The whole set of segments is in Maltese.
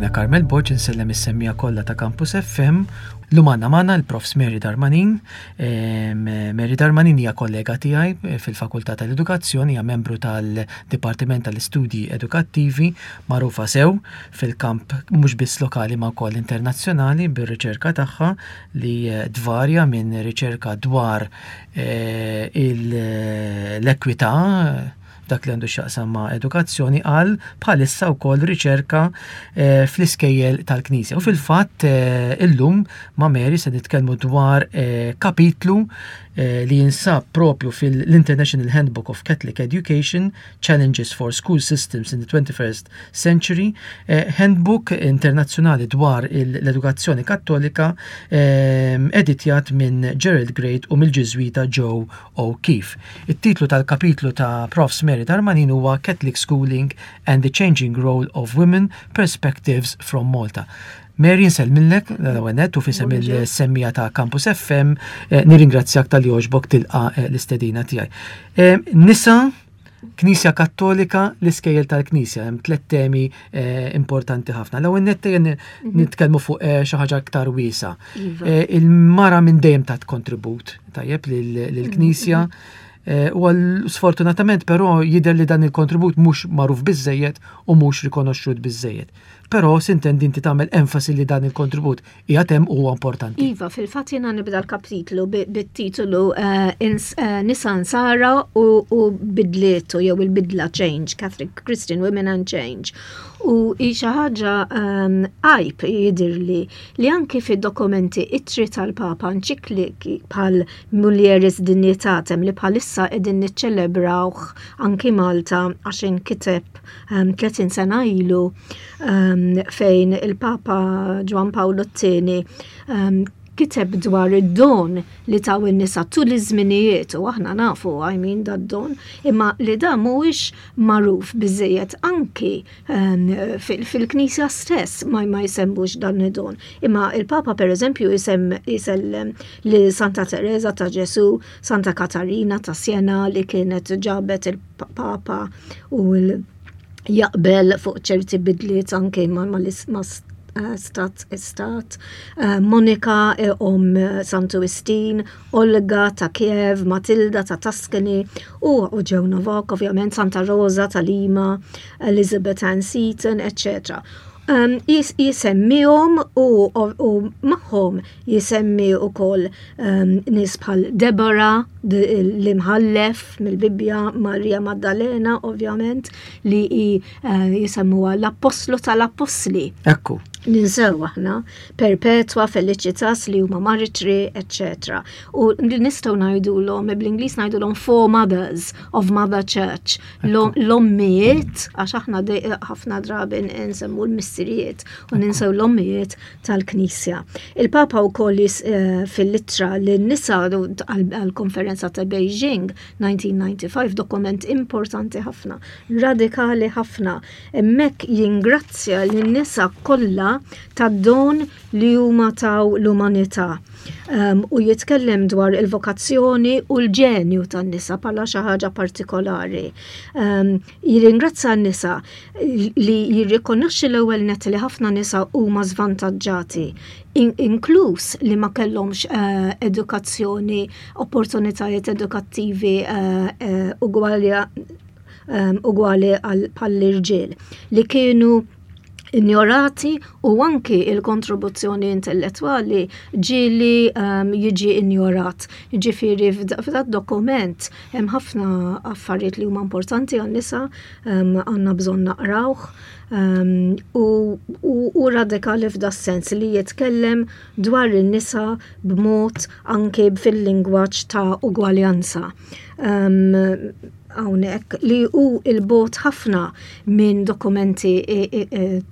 Jiena Carmel Borg insellem is-semmiegħa kollha ta' Campus FM. Llum għandna magħna l-Profs Mary Darmanin. Mary Darmanin hija kollega tiegħi eh, fil-Fakultà tal-Edukazzjoni, hija membru tal-Dipartiment tal-Istudji Edukattivi, magħrufa sew fil-kamp mhux biss lokali ma wkoll internazzjonali bir-riċerka tagħha li eh, tvarja minn riċerka dwar eh, l-ekwità dak li għandu x'jaqsam ma' edukazzjoni għal bħalissa wkoll riċerka eh, fl-iskejjel tal-Knisja. U fil-fatt eh, illum ma' Mary se nitkellmu dwar eh, kapitlu li jinsab propju fil-International Handbook of Catholic Education Challenges for School Systems in the 21st Century, handbook internazzjonali dwar l-edukazzjoni kattolika editjat minn Gerald Great u mill-Ġiżwita Joe O'Keefe. It-titlu tal-kapitlu ta' Profs Mary Darmanin huwa Catholic Schooling and the Changing Role of Women, Perspectives from Malta. Mary nsellmilek l-ewwel nett u f'isem il-semmiegħa ta' Campus FM eh, nirringrazzjak tal-li għoġbok tilqa eh, l-istedina tiegħi. Eh, nisa Knisja Kattolika, l-iskejjel tal-Knisja, hemm tliet temi eh, importanti ħafna. L-ewwel nett mhm. nitkellmu fuq eh, xi ħaġa aktar wiesa. Iva. Eh, il-mara minn dejjem tat kontribut tajjeb lill-Knisja. Mhm. U sfortunatament però jidher li dan il-kontribut mhux magħruf biżejjed u mhux rikonoxxut biżejjed. Però sintendi inti tagħmel enfasi li dan il-kontribut qiegħed hemm u huwa importanti. Iva, fil-fatt jiena nibda l-kapitlu bit-titolu eh, eh, Nisa Nsara u bidlietu jew il-bidla Change, Catholic Christian Women and Change. U hi xi ħaġa ehm, għajb jidirli li anki fid-dokumenti ittri tal-Papa enċikliki bħal Mulieris Dignitatem li bħalissa qegħdin niċċelebrawh anki Malta għax inkiteb 30 ehm, sena ilu um, fejn il-Papa Ġwan Pawlu t-tieni um, kiteb dwar id-don li taw in-nisa tul iż-żminijiet u aħna nafu I mean dad-don imma li da mhuwiex magħruf biżejjed anki um, fil-Knisja stess ma ma jsemmux dan id-don. Imma il-Papa pereżempju jisellem li Santa Teresa ta' Ġesu, Santa Katarina ta' Siena li kienet ġabet il-Papa u l jaqbel fuq ċerti bidliet anke ma' eh, stat istat, eh, Monika eh, om Santu Wistin, Olga ta' Kiev, Matilda ta' Tuscany u ġew Novak, ovvjament Santa Rosa ta' Lima, Elizabeth Ann Seton, etc. Um, jisemmihom u, u magħhom jisemmi wkoll um, nies bħal Deborah l-imħallef mill-Bibbja, Marija Maddalena ovvjament li hi uh, jisemmuha l-appostlu tal-appostli. Ekku. Ninsew aħna Perpetua, Felicitas li huma maritri, etc. U li nistgħu ngħidulhom bl-Ingliż ngħidulhom four mothers of Mother Church. L-ommijiet, għax aħna ħafna drabi nsemmu l-missirijiet u ninsew l-ommijiet tal-Knisja. Il-Papa wkoll eh, fil-ittra lin-nisa għall-konferenza ta' Beijing 1995 dokument importanti ħafna, radikali ħafna. Hemmhekk jingrazzja lin-nisa kollha tad-don li huma taw l-umanità. Um, u jitkellem dwar il-vokazzjoni u l-ġenju tan-nisa bħala xi ħaġa partikolari. Um, Jirringrazzja n-nisa li jirrikonoxxi l-ewwel nett li ħafna nisa huma żvantaġġati, inkluż li ma kellhomx eh, edukazzjoni, opportunitajiet edukattivi eh, eh, ugwali ugwali bħall-irġiel li kienu injorati u anki il-kontribuzzjoni intellettwali ġieli um, jiġi injorat. Ġifieri f'dat dokument hemm ħafna affarijiet li huma importanti għan-nisa um, għandna bżonn naqrawh um, u, u, u radikali f'da sens li jitkellem dwar in-nisa b'mod anki fil-lingwaġġ ta' ugwaljanza. Um, hawnhekk li hu il-bot ħafna minn dokumenti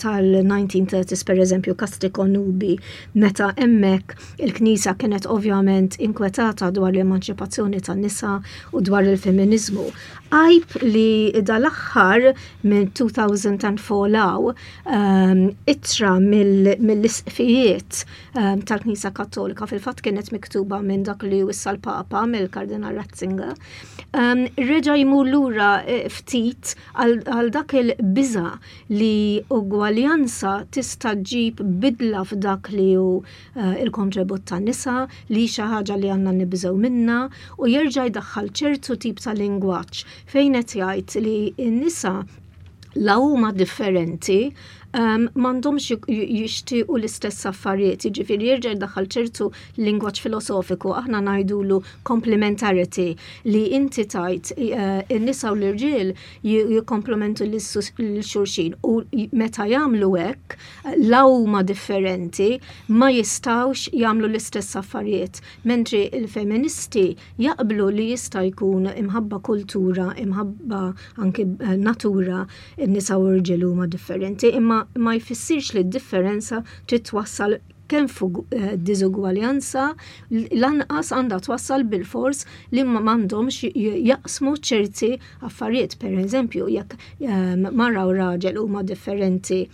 tal-1930s pereżempju Casti Connubii meta hemmhekk il-Knisja kienet ovvjament inkwetata dwar l-emanċipazzjoni tan-nisa u dwar il-feminiżmu. Għajb li dal-aħħar minn 2004 law ittra mill-isqfijiet tal-Knisja Kattolika fil-fatt kienet miktuba minn dak li issa l-Papa mill-Kardinal Ratzinger. Reġa' jmur lura eh, ftit għal dak il-biża li ugwaljanza tista' ġġib bidla f'dak li hu eh, il-kontribut tan-nisa li xi ħaġa li għandna nibżgħu minnha u jerġa' jdaħħal ċertu tip ta' lingwaġġ fejn qed jgħid li n-nisa la huma differenti um, m'għandhomx jixtiequ l-istess affarijiet, jiġifieri jerġa' jdaħħal ċertu lingwaġġ filosofiku, aħna ngħidulu complementarity li inti tajt uh, in-nisa u l-irġiel jikkomplementu lil xulxin u meta jagħmlu hekk la huma differenti ma jistgħux jagħmlu l-istess affarijiet, mentri il-feministi jaqblu li jista' jkun imħabba kultura, imħabba anki eh, natura, in-nisa u rġiel huma differenti, imma ma jfissirx li d-differenza trid twassal kemm fuq eh, diżugwaljanza lanqas għandha twassal bil-fors li ma m'għandhomx jaqsmu ċerti affarijiet. Per eżempju, jekk eh, mara u raġel huma differenti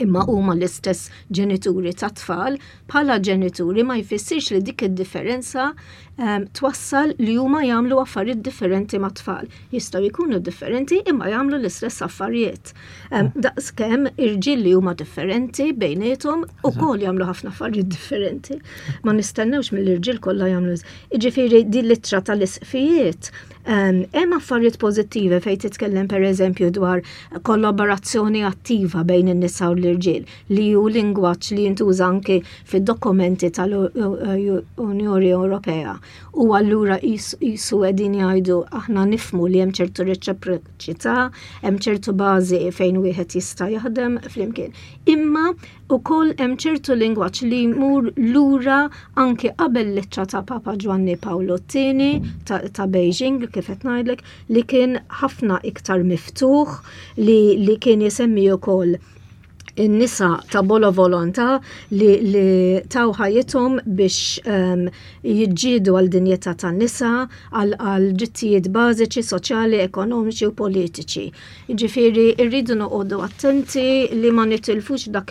imma huma l-istess ġenituri ta' tfal, bħala ġenituri ma jfissirx li dik id-differenza um, twassal li huma jagħmlu affarijiet differenti ma' tfal. Jistgħu jkunu differenti imma jagħmlu l-istess affarijiet. Um, Daqskemm irġiel li huma differenti bejniethom ukoll jagħmlu ħafna affarijiet differenti. Ma nistennewx mill-irġiel kollha jagħmlu. Jiġifieri din l-ittra tal-isqfijiet Hemm affarijiet pożittivi fejn titkellem pereżempju dwar kollaborazzjoni attiva bejn in-nisa u l-irġiel li hu lingwaġġ li jintuża anki fid-dokumenti tal-Unjoni Ewropea. U allura jisu qegħdin jgħidu aħna nifmu li hemm ċertu reċiproċità, hemm ċertu bażi fejn wieħed jista' jaħdem flimkien. Imma Ukoll hemm ċertu lingwaġġ li jmur lura anki qabel l-ittra ta' Papa Ġwanni Pawlu t-Tieni ta', ta Beijing kif qed ngħidlek li kien ħafna iktar miftuħ li, li kien jisemmi ukoll in-nisa ta' bolo volontà li, li taw ħajjithom biex um, jiġġiedu għal dinjità tan-nisa, għal drittijiet bażiċi, soċjali, ekonomiċi u politiċi. Jiġifieri rridu noqogħdu attenti li ma nitilfux dak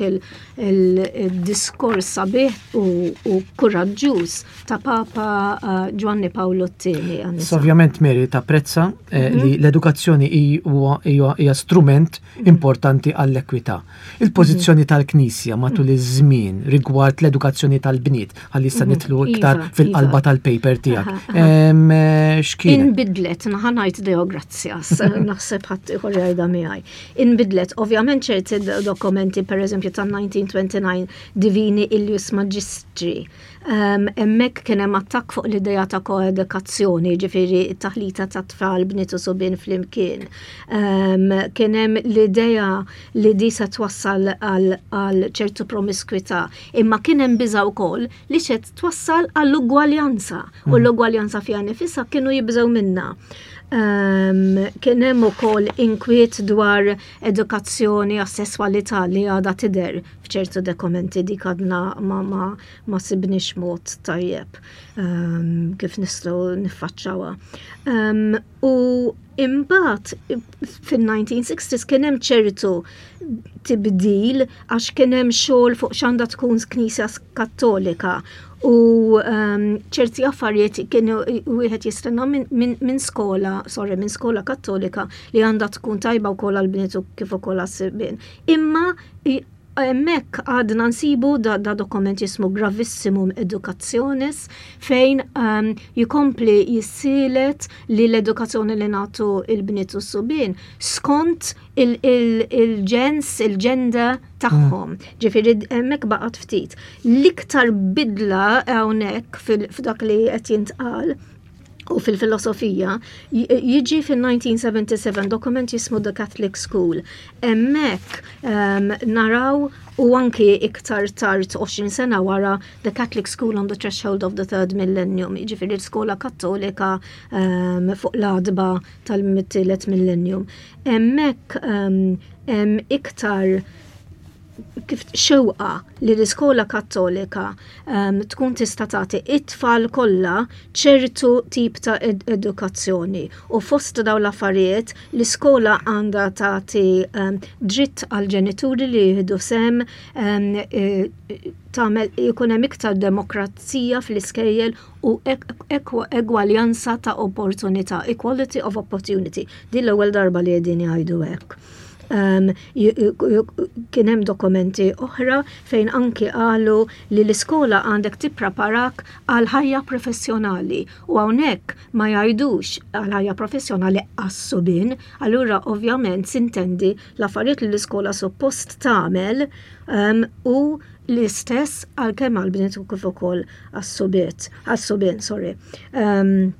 il-diskors sabiħ u kuraġġuż ta' Papa eh, Ġwanni Pawlu t-tieni. Ovvjament Mary tapprezza eh, mhm. li l-edukazzjoni hija strument mhm. importanti għall-ekwità. Il-pożizzjoni mhm. tal-Knisja matul iż-żmien rigward l-edukazzjoni tal-bniet ħalli issa mhm. nitlu iktar iva, fil-qalba iva. tal-paper tiegħek. Eh, x'kien? Inbidlet, naħanajt Deo grazzjas, naħseb ħadd ieħor jgħidha miegħi. Inbidlet, ovvjament ċerti dokumenti, pereżempju tan-1929 Divini Illius Magistri, Hemmhekk kien hemm attakk fuq l-idea ta' koedukazzjoni, ġifieri t-taħlita ta' tfal bniet u subien flimkien. Kien hemm l-idea li di se twassal għal ċertu promiskwità, imma kien hemm biża' wkoll li se twassal għall-ugwaljanza u mm. l-ugwaljanza fiha nifisha kienu jibżgħu minnha. Kien hemm ukoll inkwiet dwar edukazzjoni għas-sesswalità li għadha tidher f'ċertu dokumenti dik għadna ma, ma, ma sibniex mod tajjeb um, kif nistgħu niffaċċawha. Um, u imbagħad fin-1960s kien hemm ċertu tibdil għax kien hemm xogħol fuq x'għandha tkun Knisja Kattolika u um, ċerti affarijiet kienu wieħed jistenna minn min, min skola, sorry, minn skola kattolika li għandha tkun tajba wkoll għall-bniet u kif ukoll għas-sibien. Imma hemmhekk għadna nsibu da, da dokument jismu Gravissimum Educationis fejn um, jikompli jissielet li l-edukazzjoni li nagħtu il-bniet u s-subien skont il-ġens, il il-ġenda tagħhom. Mm. Ġifieri hemmhekk baqgħet ftit. L-iktar bidla hawnhekk f'dak li qed jintqal u fil-filosofija jiġi fil-1977 dokument jismu The Catholic School. Hemmhekk um, naraw u anki iktar tard 20 sena wara The Catholic School on the Threshold of the Third Millennium, jiġifieri l-skola kattolika um, fuq l-adba tal-tielet millennium. Hemmhekk um, hemm iktar. kif xewqa li l-iskola kattolika um, tkun tista' tagħti it-tfal kollha ċertu tip ta' ed edukazzjoni u fost dawn l-affarijiet l-iskola għandha tagħti um, dritt għal ġenituri li jieħdu sem um, tagħmel jkun hemm iktar demokrazija fl-iskejjel u egwaljanza ta' opportunità, equality of opportunity. Din l-ewwel darba li qegħdin jgħidu hekk. Um, kien hemm dokumenti oħra fejn anki qalu li l-iskola għandek tippreparak għal ħajja professjonali u hawnhekk ma jgħidux għal ħajja professjonali għas-subien, allura ovvjament sintendi l-affarijiet li l-iskola suppost tagħmel um, u l-istess għal kemm għal bniet u kif ukoll għas-subiet, għas-subien, sorry. Um,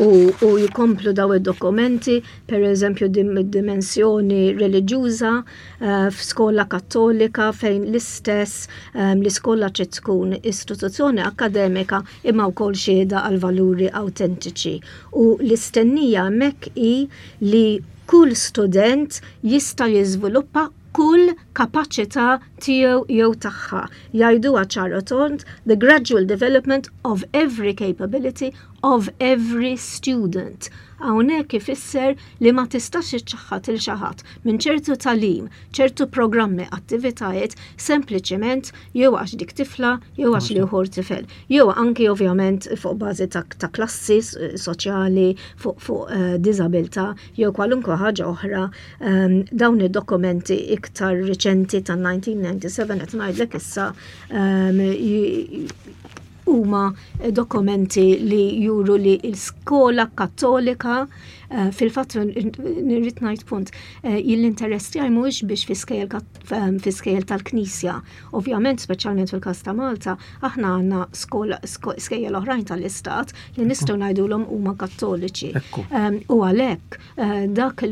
u, u jikomplu daw id-dokumenti, per eżempju dimensjoni reliġjuża uh, f'skola kattolika fejn l-istess um, l-iskola trid tkun istituzzjoni akademika imma wkoll xhieda għal valuri autentiċi. U l-istennija hemmhekk hi li kull student jista' jiżviluppa kull kapaċità tiegħu jew tagħha. Jgħiduha ċar u tond, the gradual development of every capability of every student. Hawnhekk ifisser li ma tistax iċċaħħad il xi ħadd minn ċertu tagħlim, ċertu programmi, attivitajiet, sempliċement jew għax dik tifla jew għax l-ieħor tifel. Jew anki ovvjament fuq bażi ta', ta klassi soċjali, fuq, fuq uh, diżabilità jew kwalunkwe ħaġa oħra um, dawn id-dokumenti iktar riċenti ta' 1997 qed ngħidlek issa um, huma dokumenti li juru li l-skola kattolika eh, fil-fatt nirrid ngħid punt eh, l-interess tiegħi mhuwiex biex fi skejjel tal-Knisja. Ovvjament, speċjalment fil-każ ta' Malta, aħna għandna skola skejjel oħrajn tal-Istat li nistgħu ngħidulhom huma kattoliċi. U għalhekk eh, dak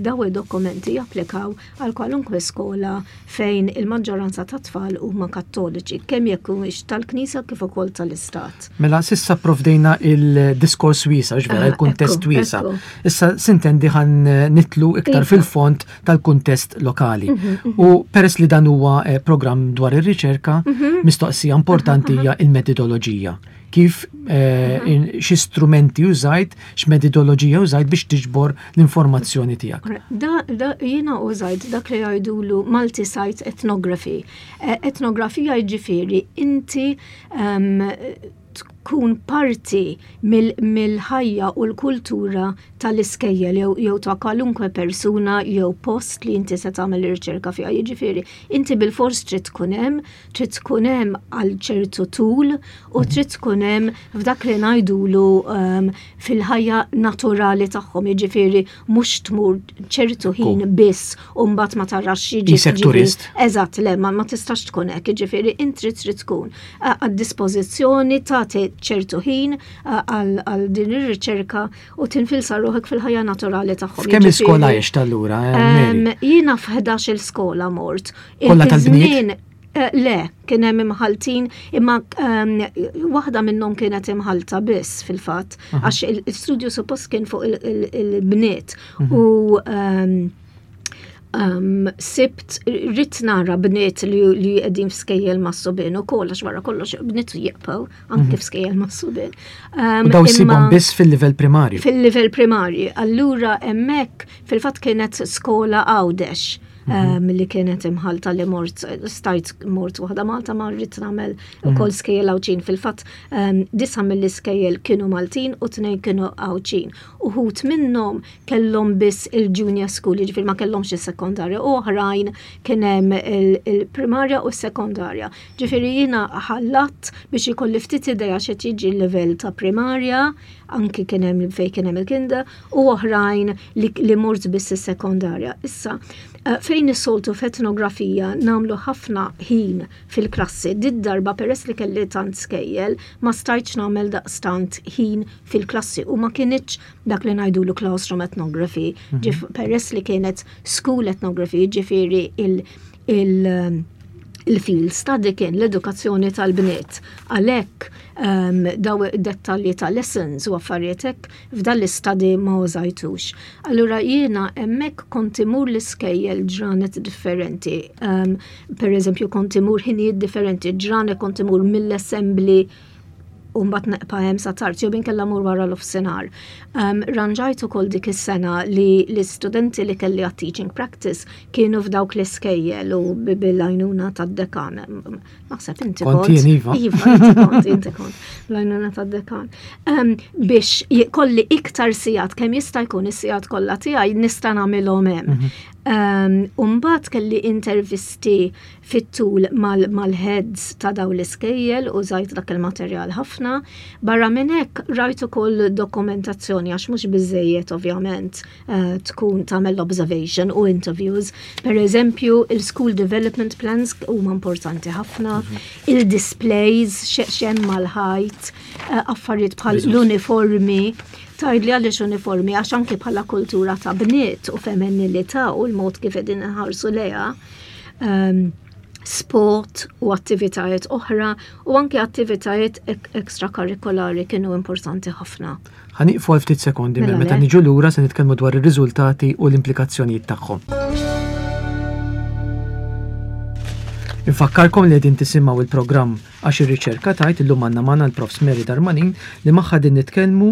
daw id-dokumenti japplikaw għal kwalunkwe skola fejn il-maġġoranza ta' tfal huma kattoliċi, kemm jekk humiex tal-Knisja kif ukoll tal-Istat. Mela s'issa provdejna il-diskors wiesa, ġvera, il-kuntest wiesa. Issa sintendi ħan nitlu iktar iva. fil-fond tal-kuntest lokali. Mhm, mhm. U peress li dan huwa eh, programm dwar ir-riċerka, mhm. mistoqsija importanti hija il-metodoloġija. Kif eh, xi strumenti użajt, x'metodoloġija użajt biex tiġbor l-informazzjoni tiegħek. Da, da jiena użajt dak li jgħidulu multi-site ethnography. Eh, etnografija jiġifieri inti um, tkun parti mill-ħajja u l-kultura tal-iskejjel jew jew ta' kwalunkwe persuna jew post li inti se tagħmel ir-riċerka fiha. Jiġifieri, inti bilfors trid tkun hemm, trid tkun hemm għal ċertu tul u trid tkun hemm f'dak li ngħidulu um, fil-ħajja naturali tagħhom, jiġifieri mhux tmur ċertu ħin biss u mbagħad ma tarax jiġi. turist. Eżatt, le, ma, ma tistax tkun hekk, jiġifieri inti trid tkun għad-dispożizzjoni tagħti ċertu ħin għal din ir-riċerka u tinfilsa ruħek fil-ħajja naturali tagħhom. Kemm iskola għext allura? Eh, jiena f'11 il-skola mort. Kollha tal-bniet? Eh, le, kien hemm imħaltin, imma waħda minnhom kienet imħalta biss fil-fatt, għax il-studju suppost kien fuq il-bniet mhm. u um, sibt rrit nara bniet li, li qegħdin f'skejjel ma' subien ukoll għax wara kollox bniet jibqgħu anke mhm. f'skejjel ma' subien. Um, Daw sibhom biss fil-livell primarju. Fil-livell primarju. Allura hemmhekk fil-fatt kienet skola Għawdex mhm. um, li kienet imħalta li mort stajt mort waħda Malta ma rrid nagħmel mhm. ukoll skejjel Għawdxin. Fil-fatt um, disa mill-iskejjel kienu Maltin u tnejn kienu Għawdxin. Uħut minnhom kellhom biss il-junior school, jiġifieri ma kellhomx is-sekondarja, u oħrajn kien hemm il-primarja u s-sekondarja. Ġifieri jiena ħallatt biex ikolli ftit idea x'qed jiġi l-livell ta' primarja, anki kien hemm fejn kien hemm il-kinder, u oħrajn li, li mort biss is-sekondarja. Issa, eh, fejn is-soltu f'etnografija nagħmlu ħafna ħin fil-klassi, did darba peress li kelli tant skejjel, ma stajtx nagħmel daqstant ħin fil-klassi u ma kinitx dak li ngħidulu classroom ethnography, mhm. peress li kienet school ethnography, ġifieri il, il Il-field study kien l-edukazzjoni tal-bniet. Għalhekk daw dettalji ta' lessons u affarijiet hekk f'dan l-istadi ma użajtux. Allura jiena hemmhekk kont imur l-iskejjel ġranet differenti. Per eżempju kont imur ħinijiet differenti, ġranet kont imur mill-assembly u mbagħad neqpa' hemm sa tard jew inkella mur wara l-ofsinhar. Ranġajt ukoll dik is-sena li l-istudenti li kelli għat teaching practice kienu f'dawk l-iskejjel u bil-għajnuna tad-dekan. Naħseb inti kont. Iva. Iva, inti kont, inti kont. Bl-għajnuna tad-dekan. Biex kolli iktar sigħat kemm jista' jkun is-sigħat kollha tiegħi nista' nagħmilhom hemm. U mbagħad kelli intervisti fit-tul mal-heads ta' dawn l-iskejjel użajt dak il-materjal ħafna. Barra minn hekk rajt ukoll dokumentazzjoni għax mhux biżejjed ovvjament eh, tkun tagħmel observation u interviews. Per eżempju, il-school development plans huma importanti ħafna, mhm. il-displays x'hemm mal-ħajt, eh, affarijiet bħal l-uniformi Tgħidli għaliex uniformi għax anki bħala kultura ta' bniet u femminilità u l-mod kif qegħdin inħarsu lejha um, sport u attivitajiet oħra u anke attivitajiet ekstrakarrikolari kienu importanti ħafna. Ħa nieqfu għal ftit sekondi mela meta niġu lura se nitkellmu dwar ir-riżultati u l-implikazzjonijiet tagħhom. Infakkarkom li qegħdin tisimgħu il-programm għax ir-riċerka tgħid illum għandna magħna l-Profs Mary Darmanin li magħha din nitkellmu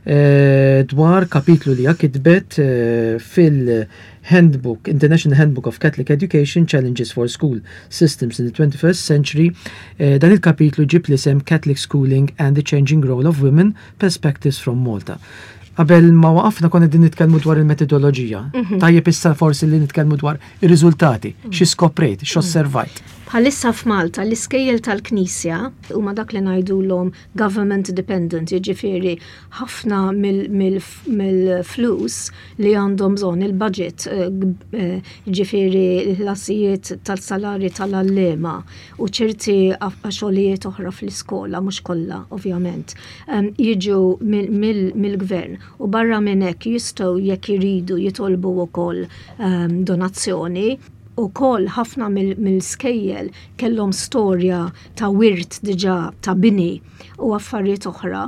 eh, dwar kapitlu li hija kitbet eh, fil- Handbook, International Handbook of Catholic Education, Challenges for School Systems in the 21st Century, eh, dan il-kapitlu ġib l-isem Catholic Schooling and the Changing Role of Women, Perspectives from Malta. Qabel ma waqafna konna din nitkellmu dwar il-metodoloġija. Mhm. Tajjeb issa forsi li nitkellmu dwar ir-riżultati, mhm. xi skoprejt, x'osservajt. Bħalissa f'Malta l-iskejjel tal-Knisja huma dak li ngħidulhom government dependent, jiġifieri ħafna mill-flus li għandhom bżonn il-budget, eh, eh, jiġifieri l-ħlasijiet tal-salari tal-għalliema u ċerti xogħlijiet oħra fl-iskola, mhux kollha ovvjament, jiġu mill-gvern u barra minn hekk jistgħu jekk iridu jitolbu wkoll donazzjoni. Ukoll ħafna mill-skejjel kellhom storja ta' wirt diġà ta' bini u affarijiet oħra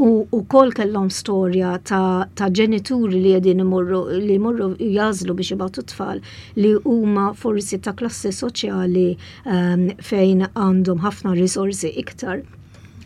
u wkoll kellhom storja ta', ta ġenituri li qegħdin imorru li jmorru jażlu biex jibgħatu tfal li huma forsi ta' klassi soċjali um, fejn għandhom ħafna risorsi iktar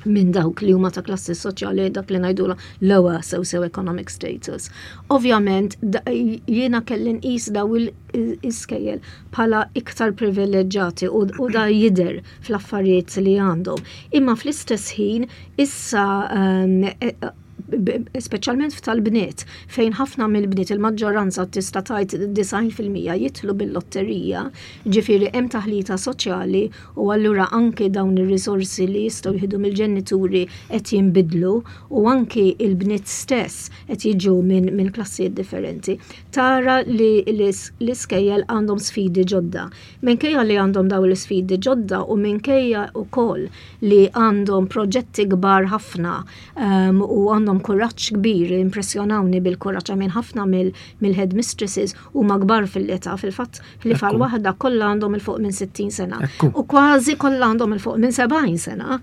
minn dawk li huma ta' klassi soċjali dak li ngħidula lower socio-economic status. Ovvjament jiena kelli nqis daw il-iskejjel bħala iktar privileġġati u, u da jidher fl-affarijiet li għandhom. Imma fl-istess ħin issa um, e, e, speċjalment f'tal-bniet, fejn ħafna mill-bniet il-maġġoranza tista' tgħid 90% jidħlu bil-lotterija, ġifieri hemm taħlita soċjali u allura anke dawn ir-risorsi li jistgħu jieħdu mill-ġenituri qed jinbidlu u anke il-bniet stess qed jiġu minn min klassijiet differenti. Tara li l-iskejjel għandhom sfidi ġodda. Minkejja li għandhom dawn l-isfidi ġodda u minkejja wkoll li għandhom proġetti kbar ħafna um, u għandhom kuraġġ kbir, impressjonawni bil-kuraġġ għamin ħafna mill-headmistresses huma kbar fil-età, fil-fatt li fal waħda kollha għandhom il fuq minn 60 sena u kważi kollha għandhom il fuq minn 70 sena.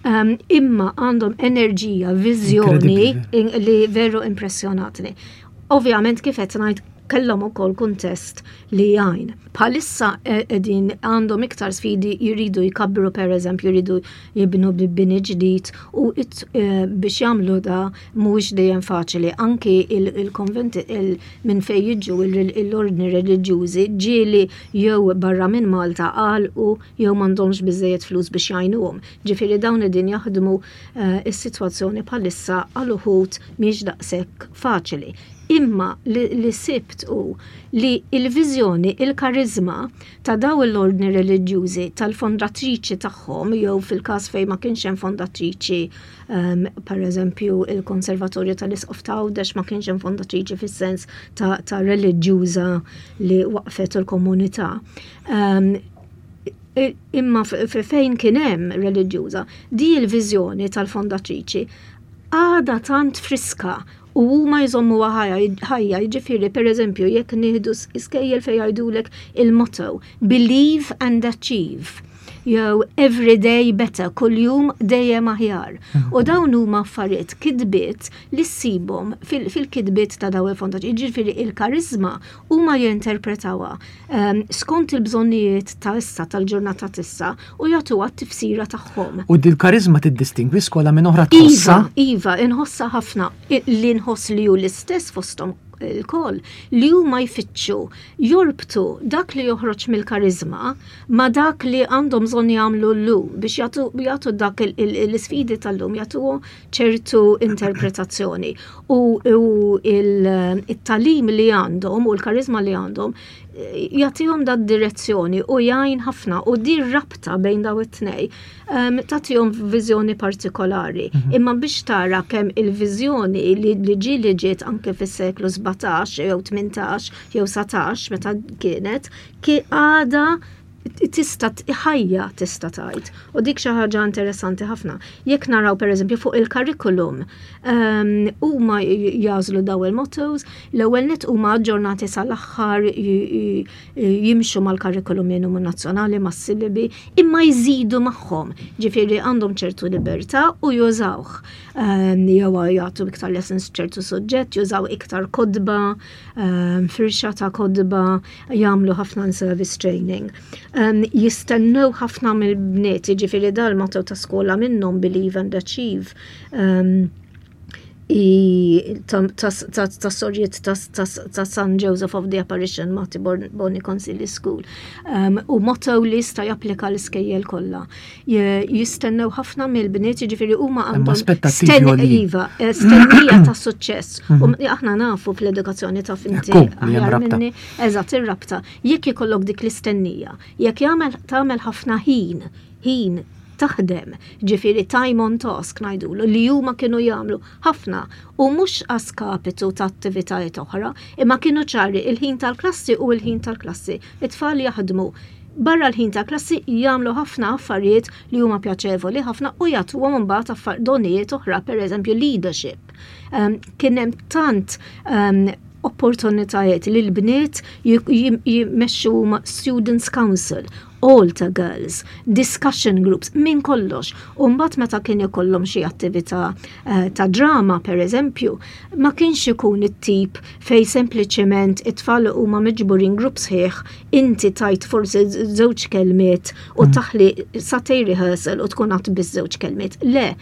Um, imma għandhom enerġija, viżjoni li veru impressjonatni. Ovvjament kif qed ngħid kellhom ukoll kuntest li jgħin. Bħalissa eh, qegħdin għandhom iktar sfidi jridu jkabbru pereżempju jridu jibnu bini ġdid u eh, biex jagħmlu da mhuwiex dejjem faċli. Anki il-konventi minn fejn jiġu l-ordni reliġjużi ġieli jew barra minn Malta għalqu jew m'għandhomx biżejjed flus biex jgħinuhom. Ġifieri dawn qegħdin jaħdmu eh, is-sitwazzjoni bħalissa għal uħud mhix daqshekk faċli. Imma li, li sibt hu li il-viżjoni, il-karizma ta' daw l-ordni reliġjużi tal-fondatriċi tagħhom jew fil-każ fejn ma kienx hemm fondatriċi um, per eżempju il-Konservatorju tal-Isqof ta' Għawdex ma kienx hemm fondatriċi fis-sens ta', ta reliġjuża li waqfet il-komunità. Um, imma fejn kien hemm reliġjuża, di l-viżjoni tal-fondatriċi għada tant friska u huma jżommuha ħajja, jiġifieri pereżempju jekk nieħdu iskejjel fejn jgħidulek il-motto believe and achieve. jew everyday better, kuljum dejjem aħjar. U dawn huma affarijiet kitbiet li ssibhom fil-kitbiet ta' dawn il-fondaċi. Jiġifieri il-kariżma huma jinterpretawha skont il-bżonnijiet ta' issa tal-ġurnata t'issa u jagħtuha t-tifsira tagħhom. U dil-kariżma tiddistingwi skola minn oħra tħossha? Iva, iva, inħossha ħafna li nħoss li hu l-istess fosthom ilkoll li huma jfittxu jorbtu dak li joħroġ mill-kariżma ma' dak li għandhom bżonn jagħmlu llum biex jagħtu jagħtu dak l-isfidi tal-lum jagħtuhom ċertu interpretazzjoni u il-tagħlim li għandhom u l-kariżma li għandhom eh, jagħtihom dat direzzjoni u jgħin ħafna u di rabta bejn daw it-tnej um, tagħtihom viżjoni partikolari. Imma biex tara kemm il-viżjoni li, li ġi li ġiet anke fis-seklu 17 jew 18 jew 19 meta kienet ki għada tista' ħajja tista' tgħid. U dik xi ħaġa interessanti ħafna. Jekk naraw pereżempju fuq il-curriculum, huma jagħżlu daw il-mottos, l-ewwel nett huma aġġornati sal-aħħar jimxu mal-curriculum minimu nazzjonali mas-sillabi, imma jżidu magħhom. Ġifieri għandhom ċertu libertà u jużawh. Jew jagħtu iktar lessons ċertu suġġett, jużaw iktar kotba, firxa ta' kotba, jagħmlu ħafna service training. Jistennew ħafna mill-bniet, jiġifieri dal-motto ta' skola minnhom Believe and Achieve. Ta' sorjiet ta' San Joseph of the Apparition Mater Boni Consilii School. U motto li jista' japplika l-iskejjel kollha. Jistennew ħafna mill-bniet, jiġifieri huma għandhom aspettattivi Iva, eh, stennija ta' suċċess. U aħna nafu fl-edukazzjoni ta' finti. Eżatt ir-rabta. Jekk ikollok dik l-istennija, jekk jagħmel tagħmel ħafna ħin, ħin taħdem, ġifieri time on task ngħidulu li huma kienu jagħmlu ħafna u mhux a skapitu ta' attivitajiet oħra, imma kienu ċari il-ħin tal-klassi u l-ħin tal-klassi. It-tfal jaħdmu barra l-ħin ta' klassi jagħmlu ħafna affarijiet li huma pjaċevoli ħafna u jagħtuhom imbagħad donijiet oħra, pereżempju leadership. Kien hemm tant opportunitajiet li l-bniet jmexxu Students Council, Altar Girls, discussion groups, minn kollox. U mbagħad meta kien ikollhom xi attività ta' drama, per eżempju, ma kienx ikun it-tip fej sempliċement it-tfal huma miġburin grupp sħiħ, inti tajt forsi żewġ kelmiet u taħli sagħtejn rehearsal u tkun għadt biss żewġ kelmiet. Le,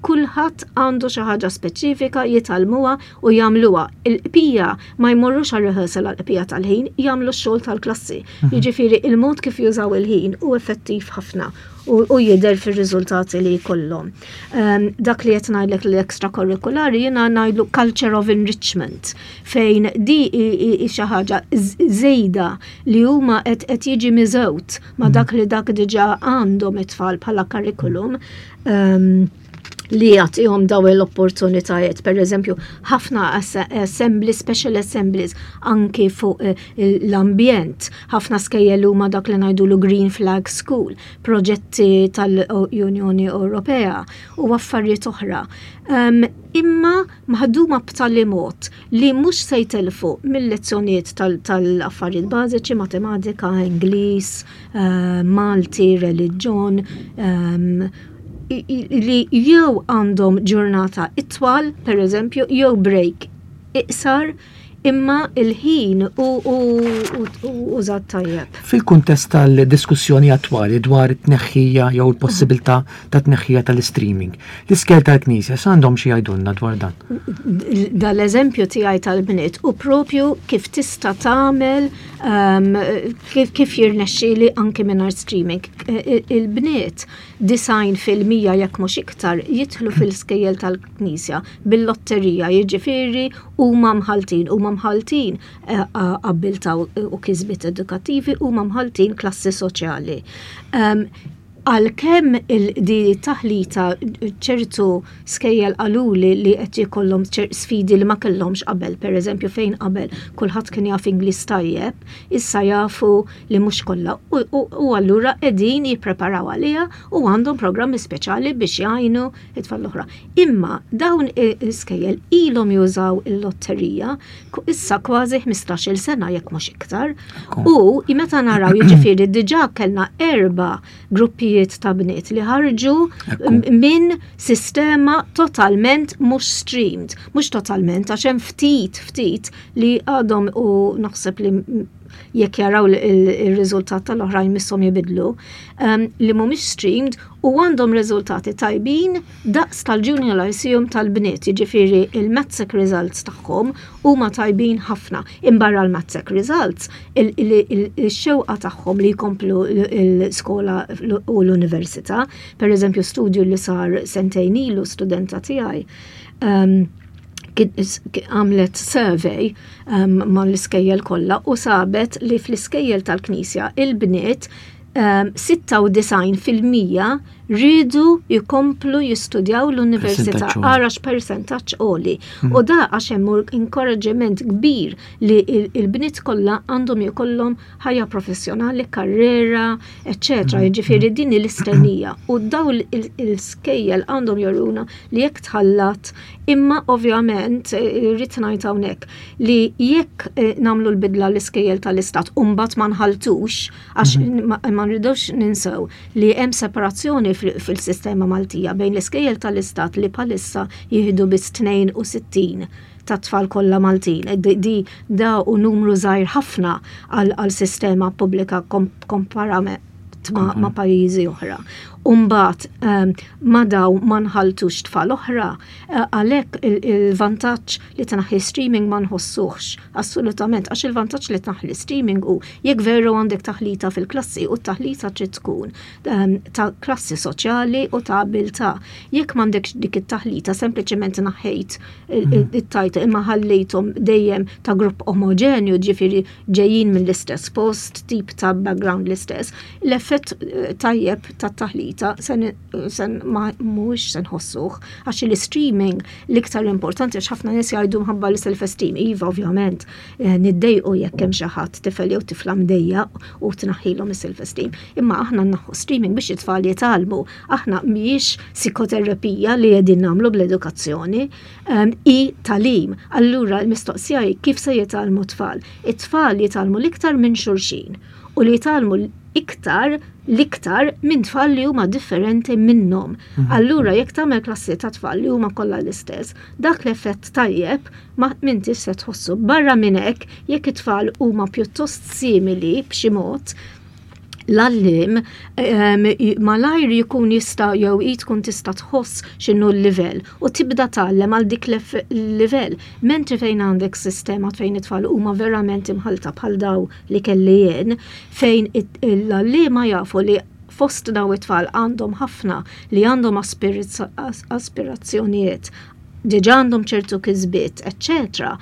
kulħadd għandu xi ħaġa speċifika jitgħallmuha u jagħmluha. Il-qpija ma jmorrux għal rehearsal għal qpija tal-ħin, jagħmlu x-xogħol tal-klassi. Jiġifieri il-mod kif jużaw il-ħin hu effettiv ħafna u jidher fir-riżultati li jkollhom. Dak li qed ngħidlek l-extracurriculari jiena ngħidlu culture of enrichment fejn di hi xi ħaġa żejda li huma qed jiġi miżewt ma' dak li dak diġà għandhom it-tfal bħala curriculum. Li jagħtihom daw l-opportunitajiet, per eżempju, ħafna assembly, special assemblies, anki fuq l-ambjent, ħafna skejjel huma dak li ngħidulu Green Flag School, proġetti tal-Unjoni Ewropea u affarijiet oħra. Imma maħduma b'tali mod li mhux se jtelfu mill-lezzjonijiet tal-affarijiet bażiċi, matematika, Ingliż, Malti, reliġjon, li jew għandhom ġurnata itwal, per eżempju, jew break iqsar, imma il-ħin u użat tajjeb. Fil-kuntest tal-diskussjoni attwali dwar it-tneħħija jew il-possibilità ta' tneħħija tal-streaming, l-iskejjel tal-Knisja x'għandhom xi jgħidulna dwar dan? Dal-eżempju tiegħi tal-bniet u propju kif tista' tagħmel kif jirnexxieli anke mingħajr streaming. Il-bniet 90% jekk mhux iktar jidħlu fil-skejjel tal-Knisja bil-lotterija, jiġifieri huma mħaltin, huma mħaltin abbiltà u kisbiet edukattivi, huma mħaltin klassi soċjali. Għalkemm di taħlita ċertu skejjel qaluli li qed jkollhom sfidi li ma kellhomx qabel, pereżempju fejn qabel kulħadd kien jaf Ingliż tajjeb, issa jafu li mhux kollha u allura qegħdin jippreparaw għaliha u għandhom programmi speċjali biex jgħinu it-tfal l-oħra. Imma dawn l-iskejjel ilhom jużaw il-lotterija issa kważi 15-il sena jekk mhux iktar. U meta naraw jiġifieri diġà kellna erba' gruppijiet ta' bniet li ħarġu minn sistema totalment mhux streamed, mhux totalment għax hemm ftit ftit li għadhom u naħseb li jekk jaraw il-riżultat tal-oħrajn misshom jibidlu, ehm, li mhumiex streamed u għandhom riżultati tajbin daqs tal-Junior Lyceum tal-bniet, jiġifieri il-MATSEC results tagħhom huma tajbin ħafna. Imbarra l-MATSEC results, il-xewqa tagħhom li jkomplu l-skola u l-università, per eżempju studju li sar sentejn ilu studenta tiegħi, ehm, għamlet survey um, ma l-iskejjel kollha u sabet li fl-iskejjel tal-Knisja il-bniet um, 96% rridu jkomplu jistudjaw l-università ara x'persentaġġ għoli. Mm. U da għax hemm inkoraġġiment kbir li il-bniet kollha għandhom jkollhom ħajja professjonali, karriera, eċċetera. Mm. Jiġifieri din l-istennija. U daw il-skejjel għandhom joruna li jekk tħallat, imma ovvjament eh, rrid ngħid hawnhekk li jekk eh, nagħmlu l-bidla l-iskejjel tal-istat u mbagħad ma nħaltux għax mhm. ma nridux ninsew li hemm separazzjoni fil-sistema Maltija bejn l-iskejjel tal-istat li bħalissa jieħdu biss 62 ta' tfal kollha Maltin. Di da u numru żgħir ħafna għal sistema pubblika komparament ma, ma pajjiżi oħra. Umbat ehm, ma daw ma nħaltux tfal oħra, eh, għalhekk il-vantaġġ li tnaħħi streaming ma nħossuhx assolutament għax il-vantaġġ li tnaħħi streaming hu jekk veru għandek taħlita fil-klassi u t-taħlita trid tkun ehm, ta' klassi soċjali u ta' abilità. Jekk m'għandekx dik it-taħlita sempliċement naħħejt it-tajt imma ħallejthom dejjem ta' grupp omogenju, ġifieri ġejjin mill-istess post, tip ta' background l-istess, l-effett eh, tajjeb ta' taħlita sen, sen ma mhuwiex se nħossuh għax il-streaming l-iktar importanti għax ħafna nies jgħidu mħabba l-self-esteem. Iva, ovvjament, eh, niddejqu jekk hemm xi ħadd tifel jew tifla mdejjaq u tnaħħilhom is-self-esteem. Imma aħna naħħu streaming biex it-tfal jitgħallmu. Aħna mhijiex psikoterapija li qegħdin nagħmlu bl-edukazzjoni, ehm, i talim. Allura l-mistoqsija hi kif se jitgħallmu tfal? It-tfal jitgħallmu l-iktar minn xulxin u li jitgħallmu iktar l-iktar minn tfal li huma differenti minnhom. Mhm. Allura jekk tagħmel klassi ta' tfal li huma kollha l-istess, dak l-effett tajjeb ma m'intix se tħossu. Barra minn hekk, jekk it-tfal huma pjuttost simili b'xi mod, l-għalliem ehm, malajr jkun jista' jew hi tkun tista' tħoss x'inhu l-livell u tibda tgħallem għal dik l-livell. Mentri fejn għandek sistema fejn it-tfal huma verament imħalta bħal daw li kelli jien, fejn l-għalliema jafu li fost daw it-tfal għandhom ħafna li għandhom aspirazzjonijiet, diġà għandhom ċertu kisbiet, eċċetera.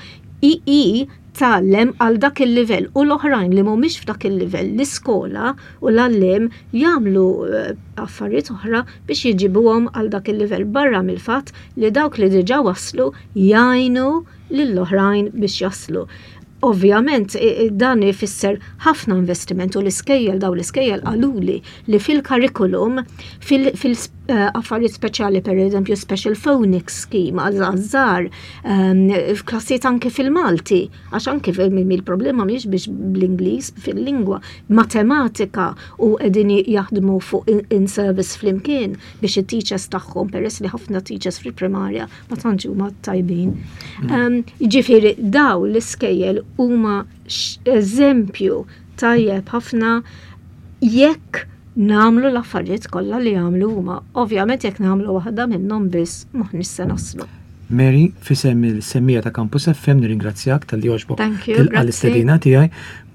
I tgħallem għal dak il-livell u l-oħrajn li mhumiex f'dak il-livell l-iskola u l-għalliem jagħmlu eh, affarijiet oħra biex jġibuhom għal dak il-livell barra mill-fatt li dawk li diġà waslu jgħinu lill-oħrajn biex jaslu. Ovvjament dan ifisser ħafna investiment u l-iskejjel daw l-iskejjel qaluli li fil-curriculum fil-affarijiet speċjali per eżempju special phonics scheme għaż-żgħar ehm, f'klassijiet anke fil-Malti għax anke il-problema mhijiex biex bl-Ingliż fil-lingwa matematika u qegħdin jaħdmu fuq in-service flimkien biex it-teachers tagħhom peress li ħafna teachers fil-primarja ma tantx huma tajbin. Mm. Ehm, jiġifieri daw l-iskejjel huma eżempju tajjeb ħafna jekk namlu l-affarijiet kollha li jagħmlu huma. Ovvjament jekk nagħmlu waħda minnhom biss m'aħniex se naslu. Mary, fisem il-semmija ta' Campus FM nirringrazzjak tal-li għoġbok tilqa l-istedina tiegħi.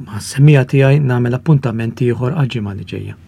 Ma' semmija tiegħi nagħmel appuntament ieħor għal-ġimgħa li ġejja.